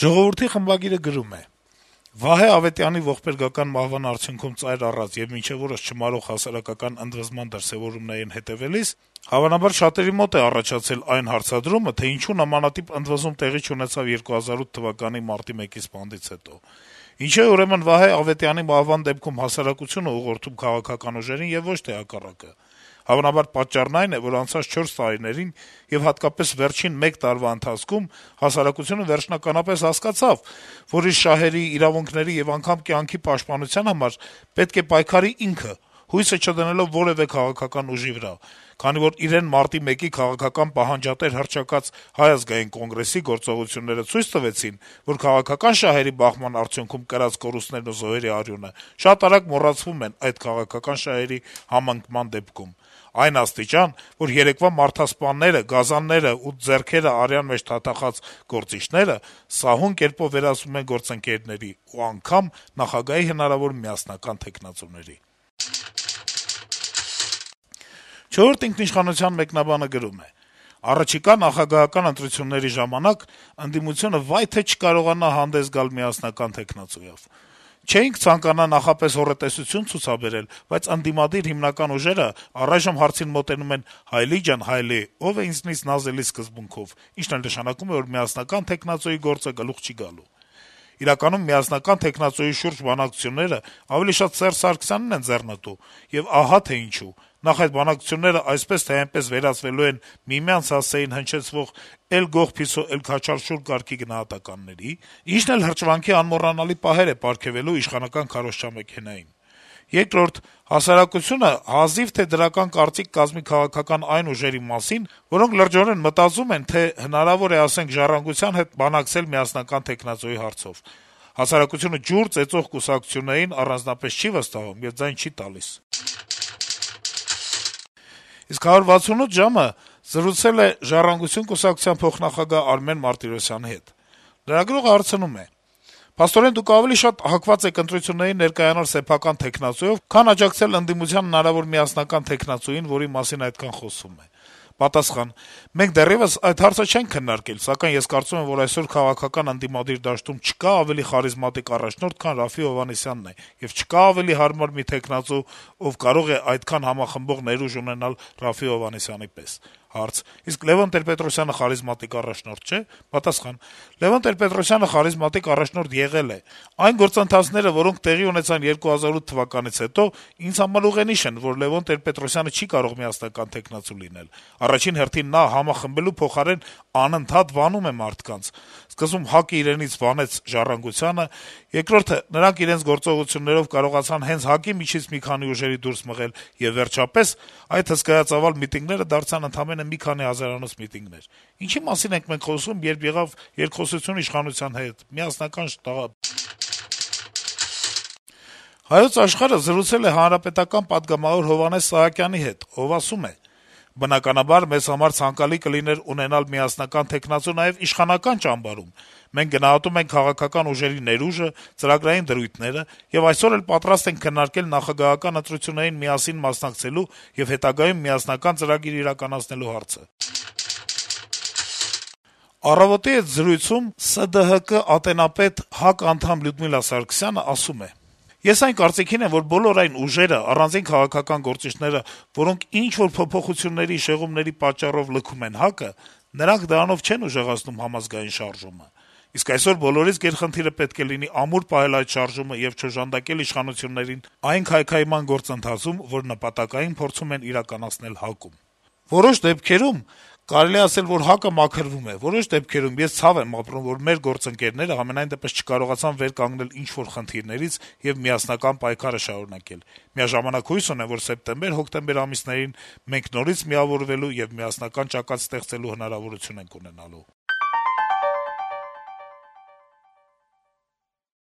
«Ժողովուրդ»-ի խմբագիրը գրում է. - «Վահե Ավետյանի ողբերգական մահվան արդյունքում ծայր առած եւ մինչեւ օրս չմարող հասարակական ընդվզման դրսեւորումներին հետեւելիս հավանաբար շատերի մոտ է առաջացել այն հարցադրումը, թե ինչու նմանատիպ ընդվզում տեղի չունեցավ 2008 թվականի մարտի 1-ի սպանդից հետո: Ինչու է ուրեմն Վահե Ավետյանի մահվան դեպքում հասարակությունը ուղղորդում քաղաքական ուժերին եւ ոչ թե հակառակը: Հավանաբար պատճառն այն է, որ անցած 4 տարիներին եւ հատկապես վերջին 1 տարվա ընթացքում հասարակությունը վերջնականապես հասկացավ, որ իր շահերի, իրավունքների եւ անգամ կյանքի պաշտպանության համար պետք է պայքարի ինքը, հույսը չդնելով որեւէ քաղաքական ուժի վրա, քանի որ իրեն մարտի 1-ի քաղաքական պահանջատեր հռչակած Հայ ազգային կոնգրեսի գործողությունները ցույց տվեցին, որ քաղաքական շահերի բախման արդյունքում կրած կորուստներն ու զոհերի արյունը շատ արագ մոռացվում են այդ քաղաքական շահերի համընկման դեպքում: Այն աստիճան, որ երեկվա մարդասպանները, գազանները ու ձեռքերը արյան մեջ թաթախած գործիչները սահուն կերպով վերածվում են գործընկերների ու անգամ նախագահի հնարավոր միասնական թեկնածուների»: «Չորրորդ ինքնիշխանության» մեկնաբանը գրում է. - «Առաջիկա նախագահական ընտրությունների ժամանակ ընդդիմությունը վայ թե չկարողանա հանդես գալ միասնական թեկնածուով: Չէինք ցանկանա նախապես հոռետեսություն ցուցաբերել, բայց ընդդիմադիր հիմնական ուժերը առայժմ հարցին մոտենում են «հայլի ջան, հայլի, ով է ինձնից նազելի» սկզբունքով, ինչն էլ նշանակում է, որ միասնական թեկնածուի գործը գլուխ չի գալու: Իրականում միասնական թեկնածուի շուրջ բանակցությունները ավելի շատ Սերժ Սարգսյանին են ձեռնտու, եւ ահա թե ինչու: Նախ` այդ բանակցությունները այսպես թե այնպես վերածվելու են միմյանց հասցեին հնչեցվող «էլ գող փիսո, էլ քաչալ շուռ» կարգի գնահատականների, ինչն էլ հրճվանքի անմոռանալի պահեր է պարգեւելու իշխանական քարոզչամեքենային: Երկրորդ` հասարակությունը հազիվ թե դրական կարծիք կազմի քաղաքական այն ուժերի մասին, որոնք լրջորեն մտածում են, թե հնարավոր է, ասենք, «Ժառանգության» հետ բանակցել միասնական թեկնածուի հարցով: Հասարակությունը ջուր ծեծող կուսակցություններին առանձնապես չի վստահում եւ ձայն չի տալիս»: Իսկ «168 ժամ»-ը զրուցել է «Ժառանգություն» կուսակցության փոխնախագահ Արմեն Մարտիրոսյանի հետ: Լրագրողը հարցնում է. - «Փաստորեն Դուք ավելի շատ հակված եք ընտրություններին ներկայանալ սեփական թեկնածուով, քան աջակցել ընդդիմության հնարավոր միասնական թեկնածուին, որի մասին այդքան խոսվում է»: Պատասխան. - «Մենք դեռեւս այդ հարցը չենք քննարկել, սակայն ես կարծում եմ, որ այսօր քաղաքական ընդդիմադիր դաշտում չկա ավելի խարիզմատիկ առաջնորդ, քան Րաֆֆի Հովհաննիսյանն է, եւ չկա ավելի հարմար մի թեկնածու, ով կարող է այդքան համախմբող ներուժ ունենալ Րաֆֆի Հովհաննիսյանի պես»: Հարց. - «Իսկ Լեւոն Տեր-Պետրոսյանը խարիզմատիկ առաջնորդ չէ՞: Պատասխան. - «Լեւոն Տեր-Պետրոսյանը խարիզմատիկ առաջնորդ եղել է: Այն գործընթացները, որոնք տեղի ունեցան 2008 թվականից հետո, ինձ համար ուղենիշ են, որ Լեւոն Տեր-Պետրոսյանը չի կարող միասնական թեկնածու լինել: Առաջին հերթին նա համախմբելու փոխարեն անընդհատ վանում է մարդկանց: Սկզբում ՀԱԿ-ը իրենից վանեց «Ժառանգությանը», երկրորդը` նրանք իրենց գործողություններով կարողացան հենց ՀԱԿ-ի միջից մի քանի ուժերի դուրս մղել, եւ վերջապես այդ հսկայածավալ միտինգները դարձան ընդամենը մի քանի հազարանոց միտինգներ: Ինչի՞ մասին ենք մենք խոսում, երբ եղավ երկխոսություն իշխանության հետ, միասնական շտաբ»: «Հայոց Աշխարհ»-ը զրուցել է Հանրապետական պատգամավոր Հովհաննես Սահակյանի հետ, ով ասում է. - «Բնականաբար, մեզ համար ցանկալի կլիներ ունենալ միասնական թեկնածու նաեւ իշխանական ճամբարում: Մենք գնահատում ենք քաղաքական ուժերի ներուժը, ծրագրային դրույթները եւ այսօր էլ պատրաստ ենք քննարկել նախագահական ընտրություններին միասին մասնակցելու եւ հետագայում միասնական ծրագիր իրականացնելու հարցը»: «Առավոտ»-ի հետ զրույցում ՍԴՀԿ ատենապետ, ՀԱԿ անդամ Լյուդմիլա Սարգսյանը ասում է. - «Ես այն կարծիքին եմ, որ բոլոր այն ուժերը, առանձին քաղաքական գործիչները, որոնք ինչ-որ փոփոխությունների, շեղումների պատճառով լքում են ՀԱԿ-ը, նրանք դրանով չեն ուժեղացնում համազգային շարժումը: Իսկ այսօր բոլորիս գերխնդիրը պետք է լինի ամուր պահել այդ շարժումը եւ չօժանդակել իշխանություններին այն քայքայման գործընթացում, որ նպատակային փորձում են իրականացնել ՀԱԿ-ում: Որոշ դեպքերում կարելի է ասել, որ ՀԱԿ-ը մաքրվում է, որոշ դեպքերում ես ցավ եմ ապրում, որ մեր գործընկերները համենայնդեպս չկարողացան վեր կանգնել ինչ-որ խնդիրներից եւ միասնական պայքարը շարունակել: Միաժամանակ հույս ունեմ, որ սեպտեմբեր-հոկտեմբեր ամիսներին մենք նորից միավորվելու եւ միասնական ճակատ ստեղծելու հնարավորություն ենք ունենալու»: